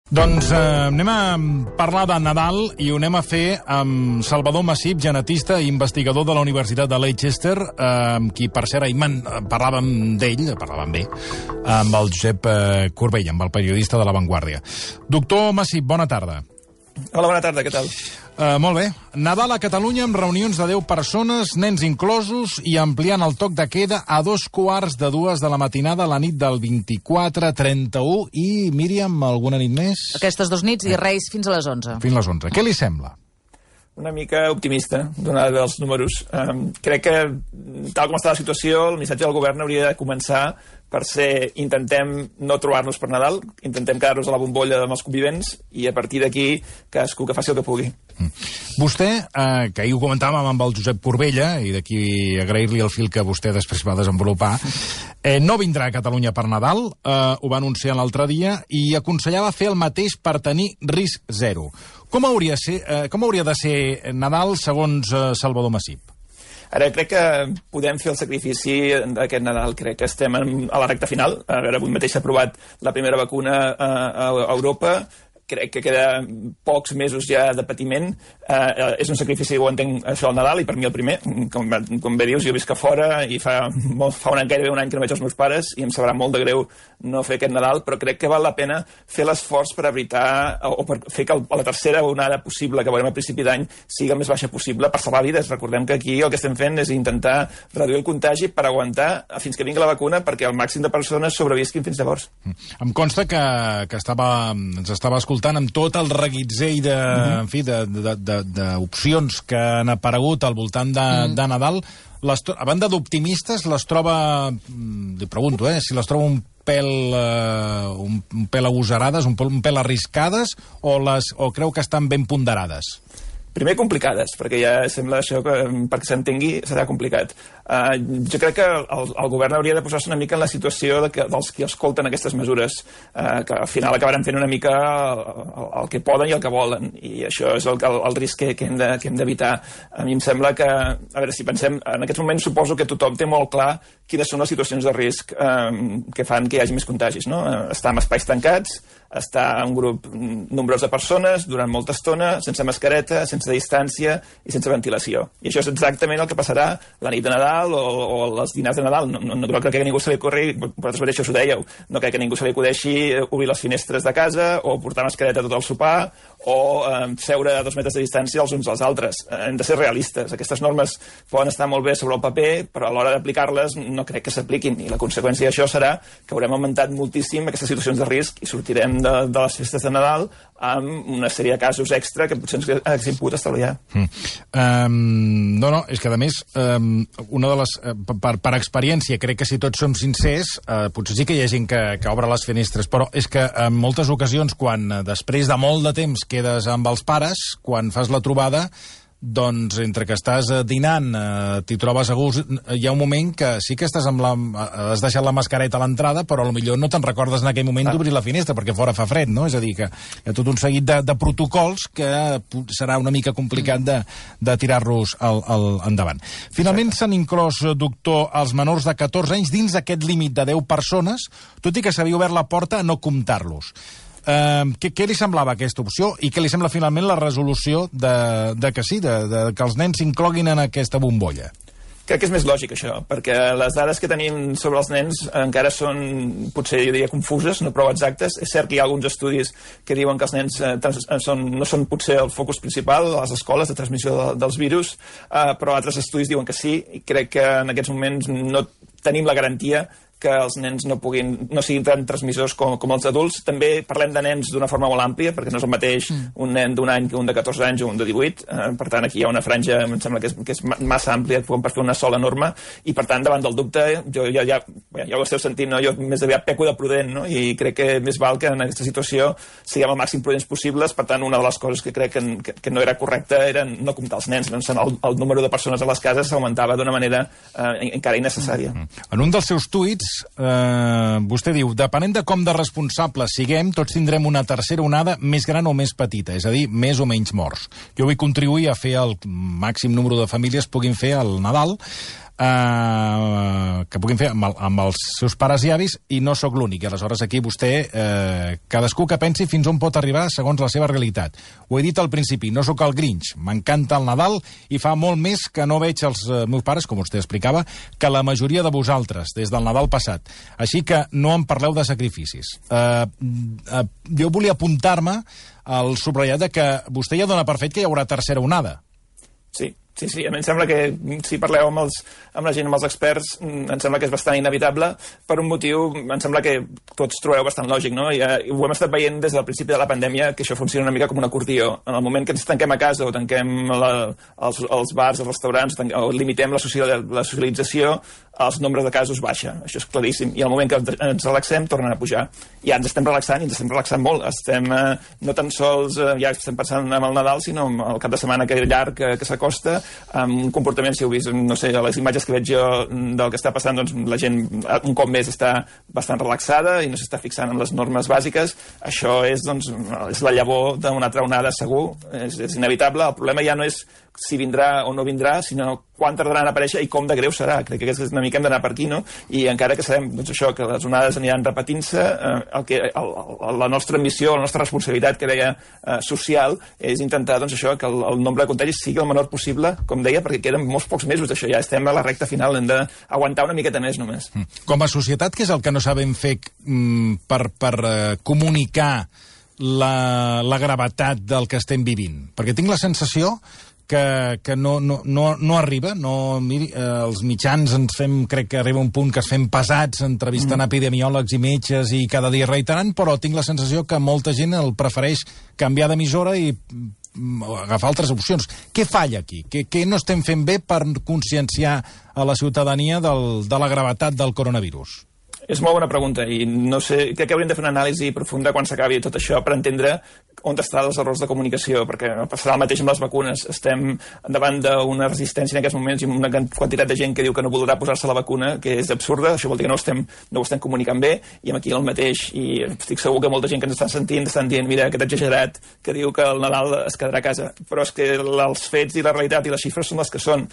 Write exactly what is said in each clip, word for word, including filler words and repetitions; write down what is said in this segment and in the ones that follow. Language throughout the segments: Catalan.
Doncs eh, anem a parlar de Nadal i ho anem a fer amb Salvador Massip, genetista i investigador de la Universitat de Leicester, eh, amb qui, per cert, ahir parlàvem d'ell, parlàvem bé, amb el Josep eh, Corbell, amb el periodista de La Vanguardia. Doctor Massip, bona tarda. Hola, bona tarda, què tal? Uh, molt bé. Nadal a Catalunya amb reunions de deu persones, nens inclosos, i ampliant el toc de queda a dos quarts de dues de la matinada a la nit del vint-i-quatre trenta-u i, Míriam, alguna nit més? Aquestes dos nits i Reis fins a les onze. Fins a les onze. Què li sembla? Una mica optimista, donada els números. Um, crec que, tal com està la situació, el missatge del govern hauria de començar per ser, intentem no trobar-nos per Nadal, intentem quedar-nos a la bombolla amb els convivents i a partir d'aquí cadascú que faci el que pugui. Mm. Vostè, eh, que ahir ho comentàvem amb el Josep Corbella, i d'aquí agrair-li el fil que vostè després va desenvolupar, eh, no vindrà a Catalunya per Nadal, eh, ho va anunciar l'altre dia, i aconsellava fer el mateix per tenir risc zero. Com hauria, ser, eh, com hauria de ser Nadal segons eh, Salvador Massip? Ara, crec que podem fer el sacrifici d'aquest Nadal. Crec que estem en, a la recta final. A veure, avui mateix s'ha aprovat la primera vacuna a, a, a Europa. Crec que queda pocs mesos ja de patiment. Uh, és un sacrifici, ho entenc, això al Nadal, i per mi el primer. Com, com bé dius, jo visc a fora i fa, molt, fa un any, gairebé un any que no veig els meus pares i em sabrà molt de greu no fer aquest Nadal, però crec que val la pena fer l'esforç per evitar o per fer que la tercera onada possible que veurem a principi d'any sigui el més baixa possible per salvar vides. Recordem que aquí el que estem fent és intentar reduir el contagi per aguantar fins que vingui la vacuna perquè el màxim de persones sobrevisquin fins llavors. Em consta que, que estava, ens estava escoltant amb tot el reguitzell de, uh-huh. en fi, de, de, de, d'opcions que han aparegut al voltant de, uh-huh. de Nadal. Les, a banda d'optimistes, les troba, li pregunto, eh, si les troba un pèl, uh, un, un pèl agosarades, un pèl, un pèl arriscades, o, les, o creu que estan ben ponderades? Primer, complicades, perquè ja sembla això que perquè s'entengui serà complicat. Uh, jo crec que el, el govern hauria de posar-se una mica en la situació de que, dels que escolten aquestes mesures, uh, que al final acabaran fent una mica el, el, el que poden i el que volen, i això és el, el, el risc que, que hem de, que hem d'evitar. A mi em sembla que, a veure, si pensem, en aquests moments suposo que tothom té molt clar quines són les situacions de risc um, que fan que hi hagi més contagis, no? Estar en espais tancats, estar en un grup nombrós de persones durant molta estona, sense mascareta, sense distància i sense ventilació. I això és exactament el que passarà la nit de Nadal o, o els dinars de Nadal. No, no, no crec que a ningú se li ocorri, vosaltres mateixos ho dèieu, no crec que a ningú se li acudeixi obrir les finestres de casa o portar mascareta tot el sopar o eh, seure a dos metres de distància els uns als altres. Eh, hem de ser realistes. Aquestes normes poden estar molt bé sobre el paper, però a l'hora d'aplicar-les no crec que s'apliquin, i la conseqüència d'això serà que haurem augmentat moltíssim aquestes situacions de risc i sortirem de, de les festes de Nadal amb una sèrie de casos extra que potser ens haguéssim pogut estalviar. Mm. Um, no, no, és que a més um, una de les, uh, per, per experiència, crec que si tots som sincers, uh, potser sí que hi ha gent que, que obre les finestres, però és que en moltes ocasions, quan uh, després de molt de temps quedes amb els pares, quan fas la trobada, doncs entre que estàs dinant, eh, t'hi trobes a gust, hi ha un moment que sí que estàs amb la, has deixat la mascareta a l'entrada, però potser no te'n recordes en aquell moment d'obrir la finestra, perquè fora fa fred, no? És a dir, que hi ha tot un seguit de, de protocols que serà una mica complicat de, de tirar-los al, al, endavant. Finalment s'han inclòs, doctor, els menors de catorze anys dins aquest límit de deu persones, tot i que s'havia obert la porta a no comptar-los. Uh, què, què li semblava aquesta opció i què li sembla finalment la resolució de, de que sí, de, de que els nens s'incloguin en aquesta bombolla? Crec que és més lògic això, perquè les dades que tenim sobre els nens encara són, potser jo diria, confuses, no prou exactes. És cert que hi ha alguns estudis que diuen que els nens eh, són, no són potser el focus principal a les escoles de transmissió de, dels virus, eh, però altres estudis diuen que sí, i crec que en aquests moments no tenim la garantia que els nens no puguin, no siguin tan transmissors com, com els adults. També parlem de nens d'una forma molt àmplia, perquè no és el mateix mm. un nen d'un any que un de catorze anys o un de divuit. Eh, per tant, aquí hi ha una franja, em sembla que és, que és massa àmplia com per fer una sola norma, i per tant, davant del dubte, jo ja, ja, ja ho esteu sentint, no? Jo més aviat peco de prudent, no? I crec que més val que en aquesta situació siguem el màxim prudents possibles. Per tant, una de les coses que crec que, que, que no era correcta era no comptar els nens. Doncs el, el número de persones a les cases s'augmentava d'una manera eh, encara innecessària. Mm. En un dels seus tuits eh, vostè diu, depenent de com de responsables siguem, tots tindrem una tercera onada més gran o més petita, és a dir, més o menys morts. Jo vull contribuir a fer el màxim número de famílies puguin fer el Nadal, Uh, que puguin fer amb, el, amb els seus pares i avis, i no sóc l'únic. Aleshores, aquí vostè, uh, cadascú que pensi fins on pot arribar segons la seva realitat. Ho he dit al principi, no sóc el Grinch, m'encanta el Nadal i fa molt més que no veig els uh, meus pares, com vostè explicava, que la majoria de vosaltres, des del Nadal passat. Així que no em parleu de sacrificis. Uh, uh, jo volia apuntar-me al subratllat de que vostè ja dona per fet que hi haurà tercera onada. Sí. Sí, sí, a mi em sembla que si parleu amb, els, amb la gent, amb els experts, em sembla que és bastant inevitable per un motiu, em sembla que tots trobeu bastant lògic, no? I, I ho hem estat veient des del principi de la pandèmia, que això funciona una mica com un acordió. En el moment que ens tanquem a casa o tanquem la, els, els bars, els restaurants, tanquem, o limitem la, social, la socialització, els nombres de casos baixa. Això és claríssim. I al moment que ens relaxem, tornen a pujar. I ja ens estem relaxant, i ens estem relaxant molt. Estem eh, no tan sols, eh, ja estem pensant en el Nadal, sinó en el cap de setmana que llarg que, que s'acosta, amb un comportament, si heu vist, no sé, a les imatges que veig jo del que està passant, doncs la gent un cop més està bastant relaxada i no s'està fixant en les normes bàsiques. Això és, doncs, és la llavor d'una altra onada segur, és, és inevitable. El problema ja no és si vindrà o no vindrà, sinó quan tardaran a aparèixer i com de greu serà. Crec que una mica hem d'anar per aquí, no? I encara que sabem, doncs això, que les onades aniran repetint-se, eh, el que, el, el, la nostra missió, la nostra responsabilitat, que deia, eh, social, és intentar, doncs això, que el, el nombre de contagis sigui el menor possible, com deia, perquè queden molts pocs mesos d'això, ja estem a la recta final, hem d'aguantar una miqueta més només. Com a societat, què és el que no sabem fer mm, per, per uh, comunicar la, la gravetat del que estem vivint? Perquè tinc la sensació que, que no, no, no, no arriba, no, miri, eh, els mitjans ens fem, crec que arriba un punt que es fem pesats entrevistant mm. epidemiòlegs i metges i cada dia reiterant, però tinc la sensació que molta gent el prefereix canviar d'emissora i agafar altres opcions. Què falla aquí? Què, què no estem fent bé per conscienciar a la ciutadania del, de la gravetat del coronavirus? És molt bona pregunta i no sé, crec que hauríem de fer una anàlisi profunda quan s'acabi tot això per entendre on estan els errors de comunicació, perquè passarà el mateix amb les vacunes. Estem davant d'una resistència en aquests moments i una quantitat de gent que diu que no voldrà posar-se la vacuna, que és absurda, això vol dir que no, estem, no ho estem comunicant bé, i aquí el mateix, i estic segur que molta gent que ens estan sentint estan dient, mira, aquest exagerat que diu que el Nadal es quedarà a casa, però és que els fets i la realitat i les xifres són les que són.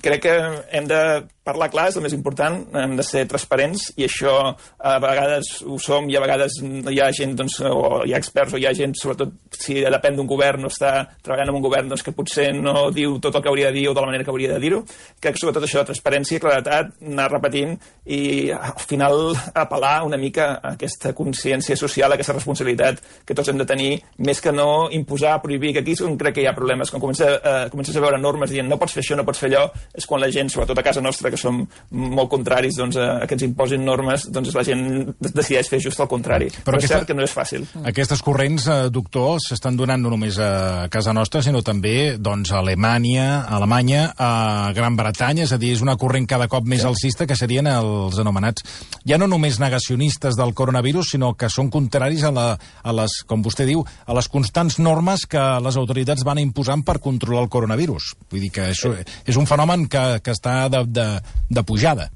Crec que hem de parlar clar, és el més important, hem de ser transparents, i això a vegades ho som i a vegades hi ha gent, doncs, o hi ha experts o hi ha gent, sobretot si depèn d'un govern o està treballant en un govern, doncs, que potser no diu tot el que hauria de dir o de la manera que hauria de dir-ho. Crec que sobretot això, transparència, claretat, anar repetint i al final apel·lar una mica a aquesta consciència social, a aquesta responsabilitat que tots hem de tenir, més que no imposar, prohibir, que aquí és on crec que hi ha problemes. Quan comença, eh, comences a veure normes dient no pots fer això, no pots fer allò, és quan la gent, sobretot a casa nostra, que som molt contraris, doncs, a que ens imposin normes, doncs la gent decideix fer just el contrari. Però, Però aquesta, és cert que no és fàcil. Aquestes corrents, eh, doctor, s'estan donant no només a casa nostra, sinó també doncs, a Alemanya, a Alemanya, a Gran Bretanya, és a dir, és una corrent cada cop més sí. alcista, que serien els anomenats, ja no només negacionistes del coronavirus, sinó que són contraris a, la, a les, com vostè diu, a les constants normes que les autoritats van imposant per controlar el coronavirus. Vull dir que això és un fenomen que, que està de, de, de pujada.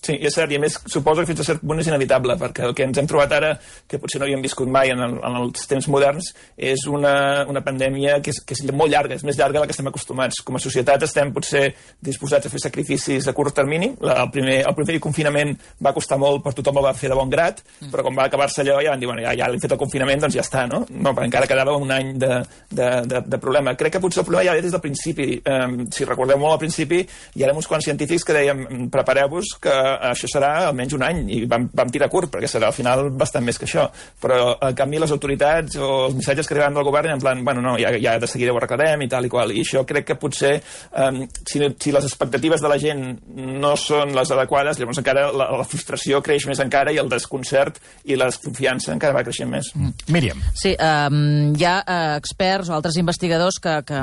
Sí, és cert, i a més suposo que fins a cert punt és inevitable, perquè el que ens hem trobat ara, que potser no havíem viscut mai en, el, en els temps moderns, és una, una pandèmia que és, que és molt llarga, és més llarga de la que estem acostumats. Com a societat estem potser disposats a fer sacrificis a curt termini. La, el, primer, el primer confinament va costar molt, per tothom el va fer de bon grat, però quan va acabar-se allò ja van dir, bueno, ja, ja l'hem fet el confinament, doncs ja està, no? No, però encara quedava un any de, de, de, de problema. Crec que potser el problema ja ve des del principi. Um, si recordeu molt al principi, hi érem uns quants científics que dèiem, prepareu-vos que això serà almenys un any, i vam, vam tirar curt, perquè serà al final bastant més que això. Però, en canvi, les autoritats o els missatges que arribaven del govern en plan, bueno, no, ja, ja de seguida ho arreglarem i tal i qual. I això crec que potser, um, si, si les expectatives de la gent no són les adequades, llavors encara la, la frustració creix més encara, i el desconcert i la desconfiança encara va creixent més. Mm. Míriam. Sí, um, hi ha uh, experts o altres investigadors que, que,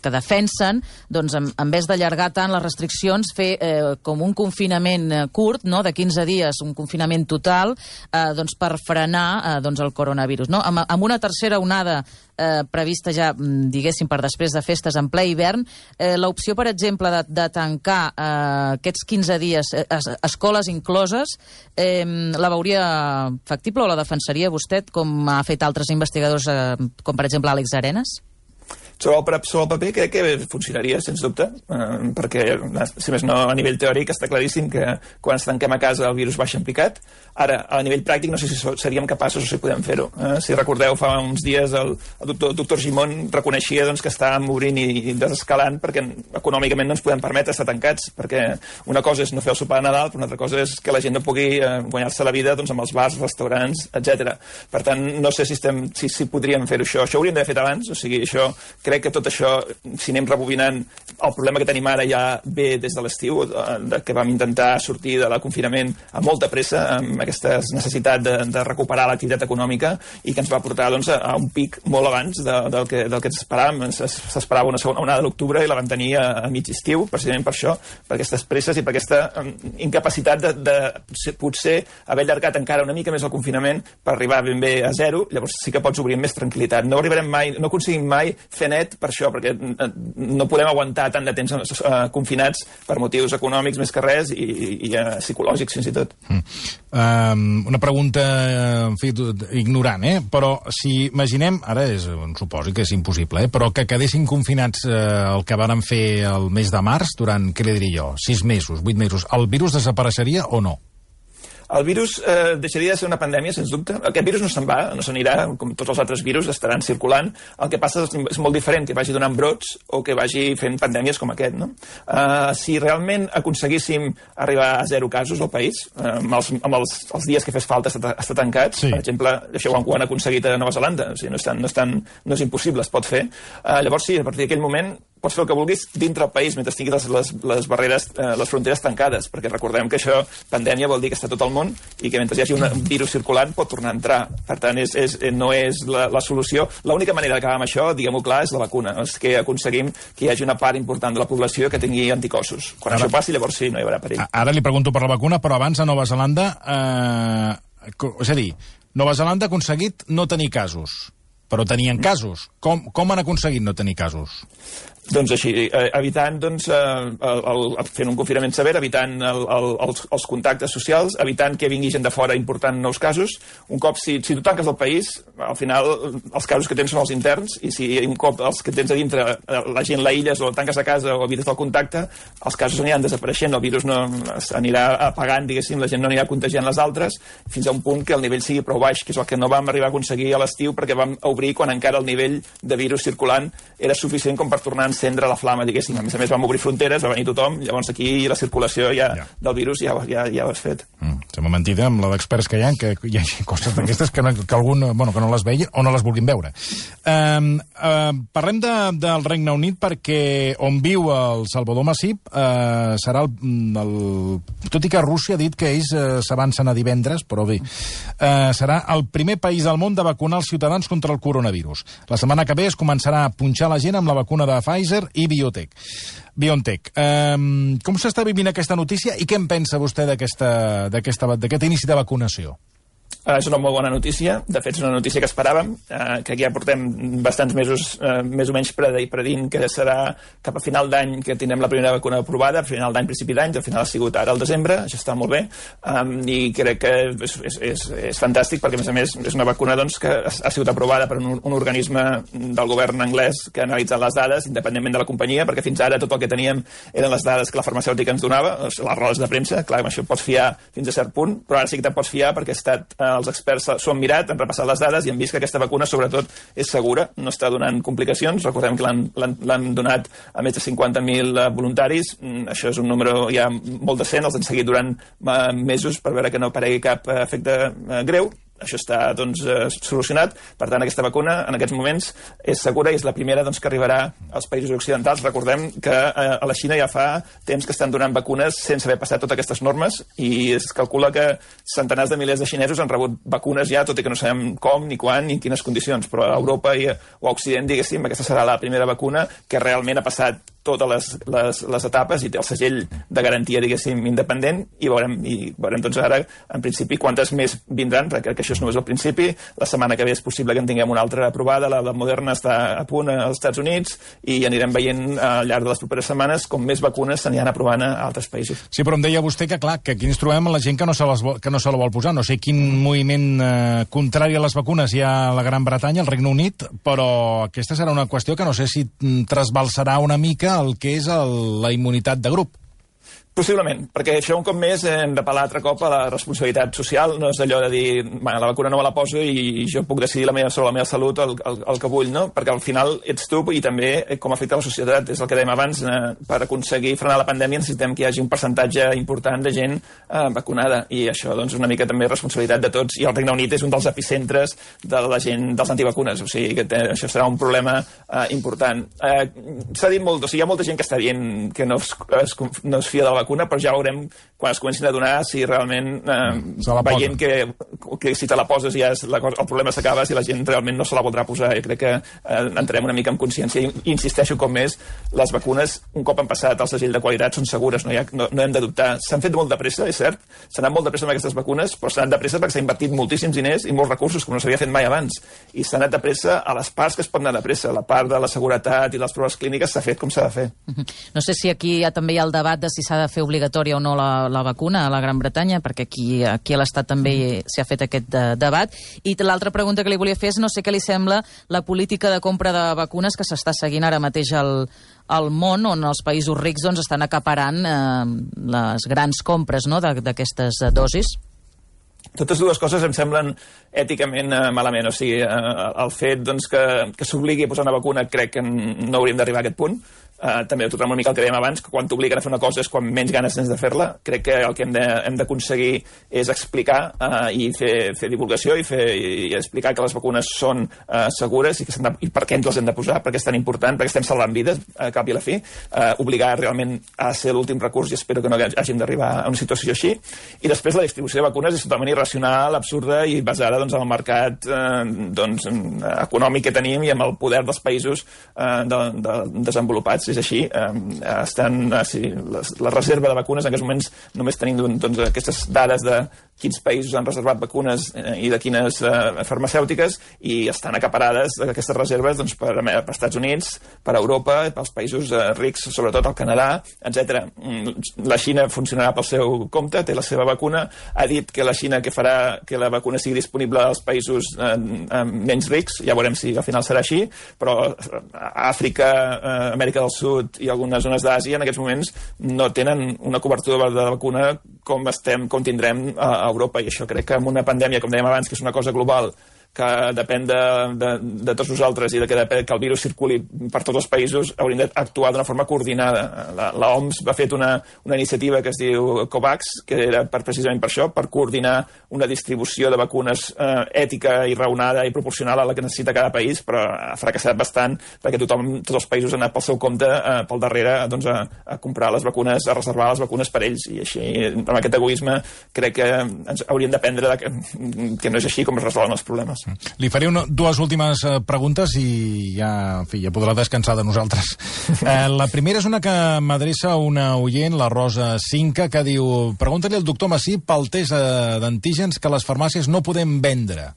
que defensen, doncs, en, en vez d'allargar tant les restriccions, fer eh, com un confinament curt, no?, de quinze dies, un confinament total, eh, doncs per frenar eh, doncs el coronavirus. No? Amb, amb una tercera onada eh, prevista ja, diguéssim, per després de festes en ple hivern, eh, l'opció, per exemple, de, de tancar eh, aquests quinze dies, eh, escoles incloses, eh, la veuria factible o la defensaria vostè, com ha fet altres investigadors, eh, com per exemple Àlex Arenas? Sobre el, sobre el paper crec que funcionaria, sens dubte, eh, perquè, si més no, a nivell teòric està claríssim que quan ens tanquem a casa el virus baixa en picat. Ara, a nivell pràctic, no sé si seríem capaços o si podem fer-ho. Eh? Si recordeu, fa uns dies el, el doctor, doctor Gimón reconeixia doncs, que estàvem obrint i, i desescalant perquè econòmicament no ens podem permetre estar tancats, perquè una cosa és no fer el sopar de Nadal, però una altra cosa és que la gent no pugui eh, guanyar-se la vida doncs, amb els bars, restaurants, etcètera. Per tant, no sé si, estem, si, si podríem fer-ho això. Això ho hauríem d'haver fet abans, o sigui, això crec que tot això, si anem rebobinant, el problema que tenim ara ja ve des de l'estiu, que vam intentar sortir de la confinament a molta pressa, amb aquesta necessitat de, de recuperar l'activitat econòmica i que ens va portar doncs, a, a un pic molt abans de, del, que, del que ens esperàvem. S'esperava una segona onada de l'octubre i la vam tenir a, a mig estiu, precisament per això, per aquestes presses i per aquesta um, incapacitat de, de potser haver allargat encara una mica més el confinament per arribar ben bé a zero. Llavors sí que pots obrir amb més tranquil·litat. No arribarem mai, no aconseguim mai fer net per això, perquè no podem aguantar tant de temps uh, confinats per motius econòmics més que res i, i uh, psicològics fins i tot. Mm. Um, una pregunta, en fi, ignorant, eh? Però si imaginem, ara és un supòsit que és impossible, eh? Però que quedessin confinats eh, el que varen fer el mes de març durant, què li diria jo, sis mesos, vuit mesos, el virus desapareixeria o no? El virus eh, deixaria de ser una pandèmia, sens dubte. Aquest virus no se'n va, no se n'anirà, com tots els altres virus, estaran circulant. El que passa és, és molt diferent que vagi donant brots o que vagi fent pandèmies com aquest, no? Uh, si realment aconseguíssim arribar a zero casos al país, uh, amb, els, amb els, els dies que fes falta estar, estar tancats, sí. Per exemple, això ho han, ho han aconseguit a Nova Zelanda, o sigui, no és, tan, no és, tan, no és impossible, es pot fer. Uh, llavors sí, a partir d'aquell moment pots fer el que vulguis dintre el país mentre tinguis les, les, les barreres, eh, les fronteres tancades, perquè recordem que això, pandèmia, vol dir que està tot el món i que mentre hi hagi una, un virus circulant pot tornar a entrar. Per tant, és, és, no és la, la solució. L'única manera d'acabar amb això, diguem-ho clar, és la vacuna. És que aconseguim que hi hagi una part important de la població que tingui anticossos. Quan ara, això passi, llavors sí, no hi haurà perill. Ara li pregunto per la vacuna, però abans a Nova Zelanda, eh, és a dir, Nova Zelanda ha aconseguit no tenir casos, però tenien casos. Com, com han aconseguit no tenir casos? Doncs així, eh, evitant, doncs, eh, el, el, fent un confinament sever, evitant el, el, els, els contactes socials, evitant que vingui gent de fora important nous casos. Un cop, si, si tu tanques el país, al final els casos que tens són els interns, i si un cop els que tens a dintre la gent l'aïlles o tanques a casa o evites el contacte, els casos aniran desapareixent, el virus no anirà apagant, diguéssim, la gent no anirà contagiant les altres, fins a un punt que el nivell sigui prou baix, que és el que no vam arribar a aconseguir a l'estiu perquè vam obrir quan encara el nivell de virus circulant era suficient com per tornar a encendre la flama, diguéssim. A més a més, vam obrir fronteres, va venir tothom, llavors aquí la circulació ja, ja. del virus ja, ja, ja ho has fet. Mm, sembla mentida amb la d'experts que hi ha, que hi ha coses d'aquestes que, no, que, algun, bueno, que no les vegin o no les vulguin veure. Um, uh, parlem de, del Regne Unit perquè on viu el Salvador Masip uh, serà el, el... Tot i que Rússia ha dit que ells uh, s'avancen a divendres, però bé, uh, serà el primer país del món de vacunar els ciutadans contra el coronavirus. La setmana que ve es començarà a punxar la gent amb la vacuna de Pfizer i Biotech. BioNTech. Um, com s'està vivint aquesta notícia i què en pensa vostè d'aquest inici de vacunació? Uh, és una molt bona notícia, de fet és una notícia que esperàvem, uh, que ja portem bastants mesos uh, més o menys predint que serà cap a final d'any que tindrem la primera vacuna aprovada, a final d'any, principi d'any, al final ha sigut ara al desembre, això està molt bé, um, i crec que és, és, és, és fantàstic perquè a més a més és una vacuna doncs, que ha sigut aprovada per un, un organisme del govern anglès que ha analitzat les dades independentment de la companyia, perquè fins ara tot el que teníem eren les dades que la farmacèutica ens donava, les rodes de premsa, clar, amb això pots fiar fins a cert punt, però ara sí que te'n pots fiar perquè ha estat uh, els experts s'ho han mirat, han repassat les dades i han vist que aquesta vacuna, sobretot, és segura, no està donant complicacions. Recordem que l'han donat a més de cinquanta mil voluntaris. Això és un número ja molt decent, els han seguit durant mesos per veure que no aparegui cap efecte greu. Això està doncs, solucionat. Per tant, aquesta vacuna en aquests moments és segura i és la primera doncs, que arribarà als països occidentals. Recordem que a la Xina ja fa temps que estan donant vacunes sense haver passat totes aquestes normes i es calcula que centenars de milers de xinesos han rebut vacunes ja, tot i que no sabem com, ni quan, ni en quines condicions. Però a Europa i a Occident, diguéssim, aquesta serà la primera vacuna que realment ha passat totes les, les, les etapes i té el segell de garantia, diguéssim, independent, i veurem, i veurem doncs ara, en principi, quantes més vindran, perquè crec que això és només el principi. La setmana que ve és possible que en tinguem una altra aprovada, la de Moderna està a punt als Estats Units, i anirem veient al llarg de les properes setmanes com més vacunes s'aniran aprovant a altres països. Sí, però em deia vostè que, clar, que aquí ens trobem la gent que no se, les vol, que no se la vol posar. No sé quin moviment eh, contrari a les vacunes hi ha a la Gran Bretanya, al Regne Unit, però aquesta serà una qüestió que no sé si trasbalsarà una mica el que és el, la immunitat de grup. Possiblement, perquè això un cop més hem d'apel·lar altre cop a la responsabilitat social, no és allò de dir, bueno, la vacuna no me la poso i jo puc decidir la meva, sobre la meva salut el, el, el que vull, no? Perquè al final ets tu i també com afecta la societat, és el que dèiem abans, eh, per aconseguir frenar la pandèmia necessitem que hi hagi un percentatge important de gent eh, vacunada, i això doncs una mica també responsabilitat de tots, i el Regne Unit és un dels epicentres de la gent dels antivacunes, o sigui que té, això serà un problema eh, important. Eh, S'ha dit molt, o sigui, hi ha molta gent que està dient que no es, es, no es fia de la vacuna, però ja veurem quan es comencin a donar si realment eh, veient que, que si te la poses ja és la cosa, el problema s'acaba, si la gent realment no se la voldrà posar. Jo crec que eh, entrem una mica en consciència i insisteixo com més, les vacunes un cop han passat el segell de qualitat són segures, no, hi ha, no, no hem de dubtar. S'han fet molt de pressa, és cert, s'han anat molt de pressa amb aquestes vacunes, però s'han anat de pressa perquè s'ha invertit moltíssims diners i molts recursos com no s'havia fet mai abans, i s'ha anat de pressa a les parts que es pot anar de pressa, la part de la seguretat i les proves clíniques s'ha fet com s'ha de fer. No sé si aquí ja també hi ha el debat de si s'ha de fer obligatòria o no la, la vacuna a la Gran Bretanya, perquè aquí, aquí a l'Estat també s'ha fet aquest de, debat. I l'altra pregunta que li volia fer és no sé què li sembla la política de compra de vacunes que s'està seguint ara mateix al, al món, on els països rics doncs, estan acaparant eh, les grans compres, no?, d'aquestes dosis. Totes dues coses em semblen èticament eh, malament. O sigui, eh, el fet doncs, que, que s'obligui a posar una vacuna crec que no hauríem d'arribar a aquest punt. Uh, també tornem una mica al que dèiem abans, que quan t'obliguen a fer una cosa és quan menys ganes tens de fer-la. Crec que el que hem de, hem d'aconseguir és explicar uh, i fer, fer divulgació i, fer, i explicar que les vacunes són uh, segures i, que de, i per què ens les hem de posar, perquè és tan important, perquè estem salvant vides, a cap i a la fi. Uh, obligar realment a ser l'últim recurs i espero que no hàgim d'arribar a una situació així. I després la distribució de vacunes és totalment irracional, absurda i basada doncs, en el mercat uh, doncs, econòmic que tenim i amb el poder dels països uh, de, de, desenvolupats. És així, eh, estan, eh, sí, les, la reserva de vacunes en aquests moments només tenim doncs, aquestes dades de quins països han reservat vacunes eh, i de quines eh, farmacèutiques, i estan acaparades aquestes reserves doncs, per, per Estats Units, per Europa, pels països eh, rics, sobretot el Canadà, etcètera. La Xina funcionarà pel seu compte, té la seva vacuna, ha dit que la Xina que farà que la vacuna sigui disponible als països eh, eh, menys rics, ja veurem si al final serà així, però Àfrica, eh, Amèrica del Sud i algunes zones d'Àsia en aquests moments no tenen una cobertura de vacuna com estem, com tindrem a Europa, i això crec que amb una pandèmia, com dèiem abans, que és una cosa global, que depèn de, de, de tots nosaltres i de que, depèn, que el virus circuli per tots els països, hauríem d'actuar d'una forma coordinada. La, la O M S va fer una, una iniciativa que es diu COVAX, que era per, precisament per això, per coordinar una distribució de vacunes eh, ètica i raonada i proporcional a la que necessita cada país, però ha fracassat bastant perquè tothom, tots els països han anat pel seu compte, eh, pel darrere, doncs, a, a comprar les vacunes, a reservar les vacunes per ells, i així, amb aquest egoisme, crec que ens hauríem d'aprendre de que, que no és així com es resolen els problemes. Li faré una, dues últimes eh, preguntes i ja, en fi, ja podrà descansar de nosaltres. Eh, la primera és una que m'adreça una oient, la Rosa Cinca, que diu: pregunta-li al doctor Massí pel test eh, d'antígens que les farmàcies no podem vendre.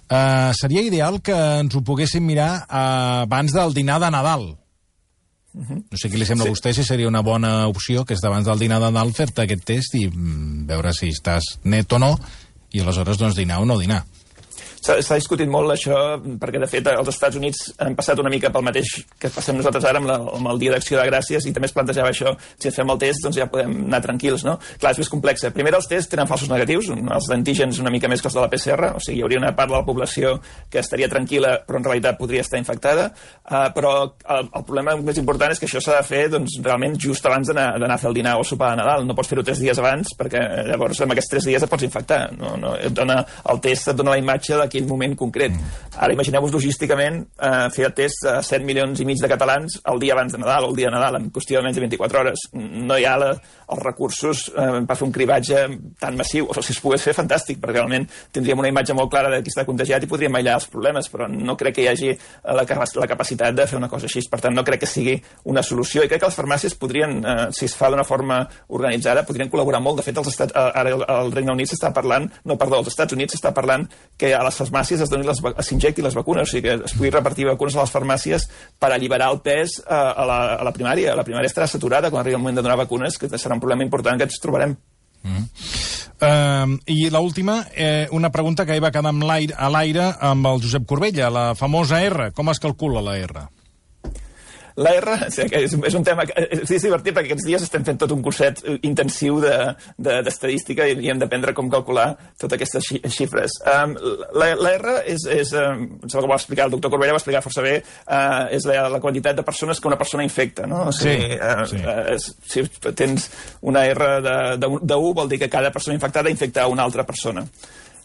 Eh, seria ideal que ens ho poguéssim mirar eh, abans del dinar de Nadal. Uh-huh. No sé què li sembla sí. a vostè, si seria una bona opció, que és d'abans del dinar de Nadal fer-te aquest test i mm, veure si estàs net o no, i aleshores doncs dinar o no dinar. S'ha discutit molt això, perquè de fet els Estats Units han passat una mica pel mateix que passem nosaltres ara amb, la, amb el Dia d'Acció de Gràcies, i també es plantejava això, si ens fem el test doncs ja podem anar tranquils, no? Clar, és més complex. Primer, els tests tenen falsos negatius, els d'antígens una mica més que els de la P C R, o sigui, hi hauria una part de la població que estaria tranquil·la, però en realitat podria estar infectada, uh, però el, el problema més important és que això s'ha de fer doncs, realment just abans d'anar a fer el dinar o el sopar de Nadal. No pots fer-ho tres dies abans, perquè llavors amb aquests tres dies et pots infectar. No, no, et dona, el test et dona la imatge de aquell moment concret. Ara imagineu-vos logísticament eh, fer el test a set milions i mig de catalans el dia abans de Nadal o el dia de Nadal, en qüestió de menys de vint-i-quatre hores. No hi ha la, els recursos eh, per fer un cribatge tan massiu. O sigui, si es pogués fer, fantàstic, perquè realment tindríem una imatge molt clara de qui està contagiat i podríem aïllar els problemes, però no crec que hi hagi la, la capacitat de fer una cosa així. Per tant, no crec que sigui una solució. I crec que les farmàcies podrien, eh, si es fa d'una forma organitzada, podrien col·laborar molt. De fet, els estats, ara al Regne Unit s'està parlant, no, perdó, als Estats Units s'està parlant que a les farmàcies es donin les, s'injectin les vacunes, o sigui que es pugui repartir vacunes a les farmàcies per alliberar el pes a, a, la, a la primària. La primària estarà saturada quan arribi el moment de donar vacunes, que serà un problema important que ens trobarem. Mm. Uh, I l'última, eh, una pregunta que hi va quedar l'aire, a l'aire amb el Josep Corbella, la famosa R. Com es calcula la R? La R és, és un tema que és divertit perquè aquests dies estem fent tot un curset intensiu d'estadística de, de, i hem d'aprendre com calcular totes aquestes xifres. Um, la, la R és, és um, em sembla que ho va explicar el doctor Corbella, va explicar força bé, uh, és la, la quantitat de persones que una persona infecta, no? O sigui, sí, uh, sí. Uh, si tens una R de, de, de u vol dir que cada persona infectada infecta una altra persona.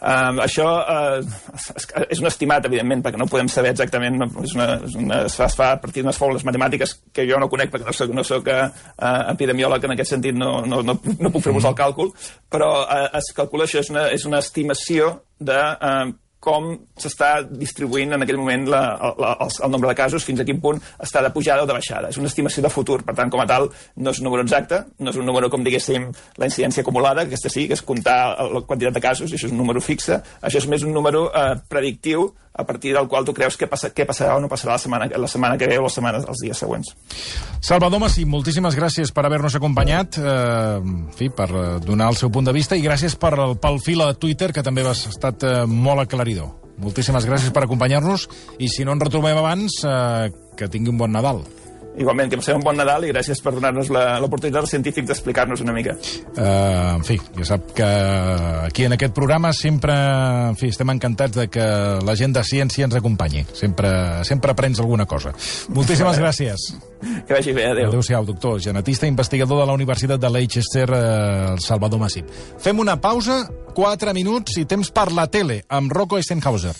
Um, això uh, és un estimat, evidentment, perquè no podem saber exactament, no, és una, és una, es, fa, es fa a partir d'unes fórmules matemàtiques que jo no conec perquè no soc, no soc uh, epidemiòleg en aquest sentit, no, no, no, no puc fer-vos el càlcul, però uh, es calcula això, és una, és una estimació de uh, com s'està distribuint en aquell moment la, la, el, el nombre de casos, fins a quin punt està de pujada o de baixada. És una estimació de futur, per tant, com a tal, no és un número exacte, no és un número, com diguéssim, la incidència acumulada, que aquesta sí, que és comptar la quantitat de casos, i això és un número fixe. Això és més un número eh, predictiu, a partir del qual tu creus què, passa, què passarà o no passarà la setmana, la setmana que ve o les setmanes, els dies següents. Salvador Masí, moltíssimes gràcies per haver-nos acompanyat, eh, en fi, per donar el seu punt de vista, i gràcies per, pel fil a Twitter, que també has estat eh, molt aclaridor. Moltíssimes gràcies per acompanyar-nos, i si no ens retrobem abans, eh, que tingui un bon Nadal. Igualment, que passem un bon Nadal i gràcies per donar-nos l'oportunitat als científics d'explicar-nos una mica. Uh, en fi, ja sap que aquí en aquest programa sempre, en fi, estem encantats de que la gent de ciència ens acompanyi. Sempre, sempre aprens alguna cosa. Moltíssimes gràcies. Que vagi bé, adéu. Adéu-siau, doctor, genetista i investigador de la Universitat de Leicester, eh, Salvador Masí. Fem una pausa, quatre minuts i temps per la tele, amb Rocco Eisenhauser.